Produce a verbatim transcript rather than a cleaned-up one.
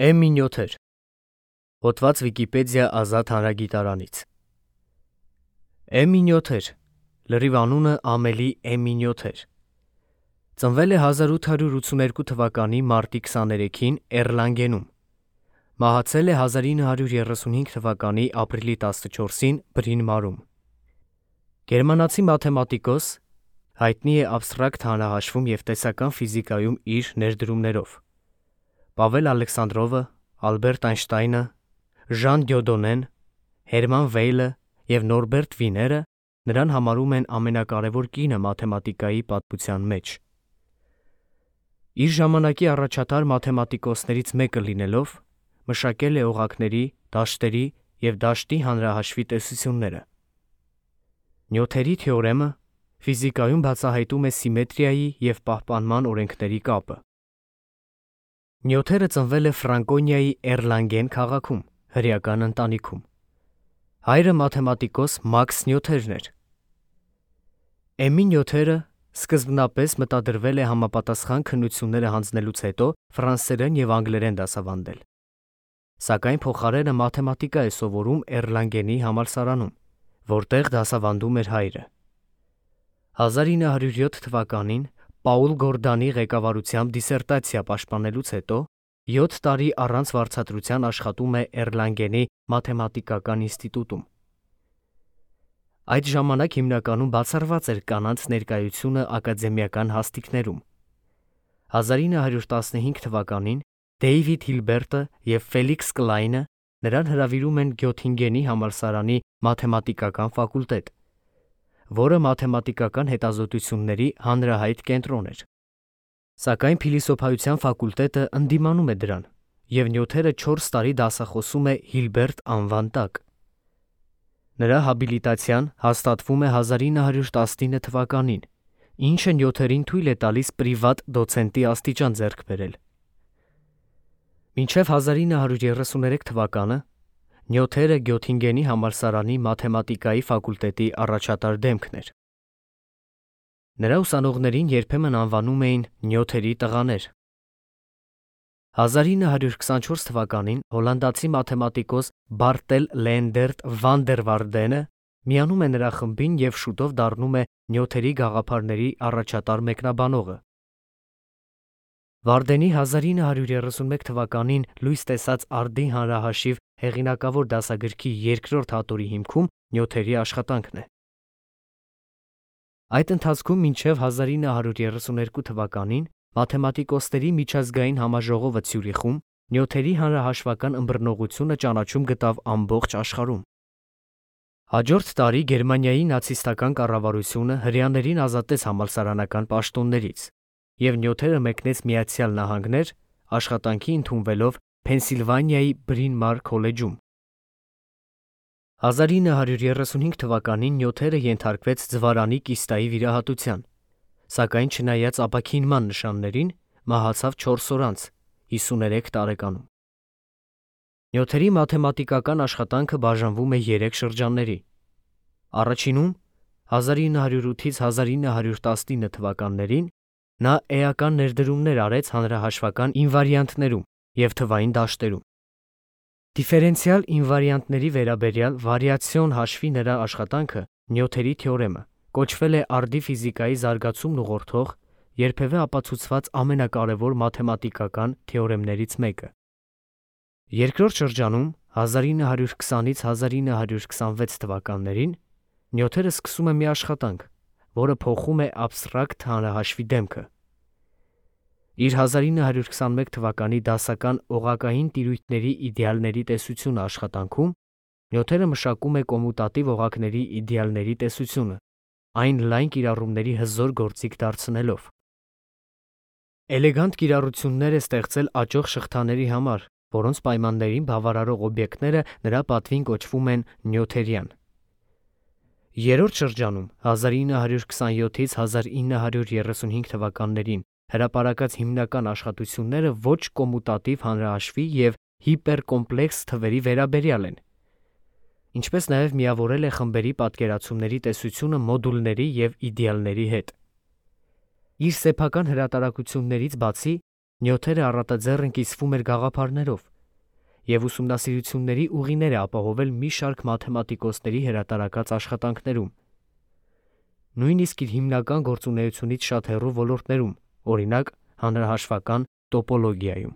Էմի նյութեր։ Հոդված Վիկիպեդիա ազատ հանրագիտարանից։ Էմի նյութեր, լրիվ անունը Ամելի Էմի նյութեր, ծնվել է հազար ութ հարյուր ութսուներկու թվականի մարտի քսաներեքին Էրլանգենում, մահացել է հազար ինը հարյուր երեսունհինգ թվականի ապրիլի տասնչորսին Բրին մարում։ Գերմանացի մաթեմատիկոս, հայտնի է աբստրակտ հանրահաշվում և տեսական ֆիզիկայում իր ներդրումներով։ Պավել Ալեքսանդրովը, Ալբերտ Այնշտայնը, Ժան Դյոդոնեն, Հերման Վեյլը և Նորբերտ Վիները նրան համարում են ամենակարևոր կինը մաթեմատիկայի պատմության մեջ։ Իր ժամանակի առաջատար մաթեմատիկոսներից մեկը լինելով, մշակել է օղակների, դաշտերի և դաշտի հանրահաշվի տեսությունները։ Նյութերի թեորեմը ֆիզիկայում բացահայտում է սիմետրիայի և պահպանման օրենքների կապը։ Նյութերը ծնվել է Ֆրանկոնիայի Էրլանգեն քաղաքում, հրեական ընտանիքում։ Հայրը մաթեմատիկոս Մաքս Նյութերն էր։ Էմի նյութերը սկզբնապես մտադրվել է համապատասխան քննությունները հանձնելուց հետո ֆրանսերեն և անգլերեն դասավանդել, սակայն փոխարենը մաթեմատիկա է սովորում Էրլանգենի համալսարանում, որտեղ դասավանդում էր հայրը։ հազար ինը հարյուր յոթ թվականին Պաուլ Գորդանի ղեկավարությամբ դիսերտացիա պաշտպանելուց հետո յոթ տարի առանց վարձատրության աշխատում է Էրլանգենի մաթեմատիկական ինստիտուտում։ Այդ ժամանակ հիմնականում բացառված էր կանանց ներկայությունը ակադեմիական հաստիքներում։ հազար ինը հարյուր տասնհինգ թվականին Դեյվիդ Հիլբերտը և Ֆելիքս Կլայնը նրան հրավիրում են Գյոթինգենի համալսարանի մաթեմատիկական ֆակուլտետ, որը մաթեմատիկական հետազոտությունների հանրահայտ կենտրոն էր։ Սակայն փիլիսոփայության ֆակուլտետը ընդդիմանում է դրան, և նյութերը չորս տարի դասախոսում է Հիլբերտ անվան տակ։ Նրա հաբիլիտացիան հաստատվում է հազար ինը հարյուր տասնինը թվականին, ինչը նյութերին թույլ է տալիս պրիվատ դոցենտի աստիճան ձեռք բերել։ Մինչև հազար ինը հարյուր երեսուներեք թվականը Նյութերը Գյոթինգենի համալսարանի մաթեմատիկայի ֆակուլտետի առաջատար դեմքն էր։ Նրա ուսանողներին երբեմն անվանում էին նյութերի տղաներ։ հազար ինը հարյուր քսանչորս թվականին հոլանդացի մաթեմատիկոս Բարտել Լեենդերտ վան դեր Վարդենը միանում է նրա խմբին և շուտով դառնում է նյութերի գաղափարների առաջատար մեկնաբանողը։ Վարդենի հազար ինը հարյուր երեսունմեկ թվականին լույս տեսած արդի հանրահաշիվ հեղինակավոր դասագրքի երկրորդ հատորի հիմքում նյութերի աշխատանքն է։ Այդ ընթացքում մինչև հազար ինը հարյուր երեսուներկու թվականին մաթեմատիկոսների միջազգային համաժողովը Ցյուրիխում նյութերի հանրահաշվական ըմբռնողությունը ճանաչում գտավ ամբողջ աշխարհում։ Հաջորդ տարի Գերմանիայի նացիստական կառավարությունը հրեաներին ազատեց համալսարանական պաշտոններից, և նյութերը մեկնեց Միացյալ Նահանգներ, աշխատանքի ընդունվելով Փենսիլվանիայի Բրին Մար քոլեջում։ հազար ինը հարյուր երեսունհինգ թվականին նյութերը ենթարկվեց ձվարանի կիստայի վիրահատության, սակայն չնայած ապաքինման նշաններին, մահացավ չորս օր անց, հիսուներեք տարեկանում։ Նյութերի մաթեմատիկական աշխատանքը բաժանվում է երեք շրջանների։ Առաջինում հազար ինը հարյուր ութից հազար ինը հարյուր տասնինը թվականներին նա էական ներդրումներ արեց հանրահաշվական ինվարիանտներում և թվային դաշտերում։ Դիֆերենցիալ ինվարիանտների վերաբերյալ վարիացիոն հաշվի նրա աշխատանքը Նյութերի թեորեմը կոչվել է արդի ֆիզիկայի զարգացումն ուղղորդող, երբևէ ապացուցված ամենակարևոր մաթեմատիկական թեորեմներից մեկը։ Երկրորդ շրջանում հազար ինը հարյուր քսանից հազար ինը հարյուր քսանվեց թվականներին Նյութերը սկսում է մի աշխատանք, որը փոխում է աբստրակտ հանրահաշվի դեմքը։ Իր հազար ինը հարյուր քսանմեկ թվականի դասական օղակային տիրույթների իդեալների տեսությունը աշխատանքում Նյութերը մշակում է կոմուտատիվ օղակների իդեալների տեսությունը, այն լայն կիրառումների հզոր գործիք դարձնելով։ Էլեգանտ կիրառություններ է ստեղծել աճող շղթաների համար, որոնց պայմաններին բավարարող օբյեկտները նրա պատվին կոչվում են նյութերյան։ Երրորդ շրջանում հազար ինը հարյուր քսանյոթից հազար ինը հարյուր երեսունհինգ թվականներին հրապարակած հիմնական աշխատությունները ոչ կոմուտատիվ հանրահաշվի և հիպերկոմպլեքս թվերի վերաբերյալ են, ինչպես նաև միավորել է խմբերի պատկերացումների տեսությունը մոդուլների և իդեալների հետ։ Իր սեփական հրատարակություններից բացի Նյութերը առատաձեռն կիսվում էր գաղափարներով, և ուսումնասիրությունների ուղիներ է ապահովել մի շարք մաթեմատիկոսների հրատարակած աշխատանքներում, նույնիսկ իր հիմնական գործունեությունից շատ հեռու ոլորտներում, օրինակ՝ հանրահաշվական տոպոլոգիայում։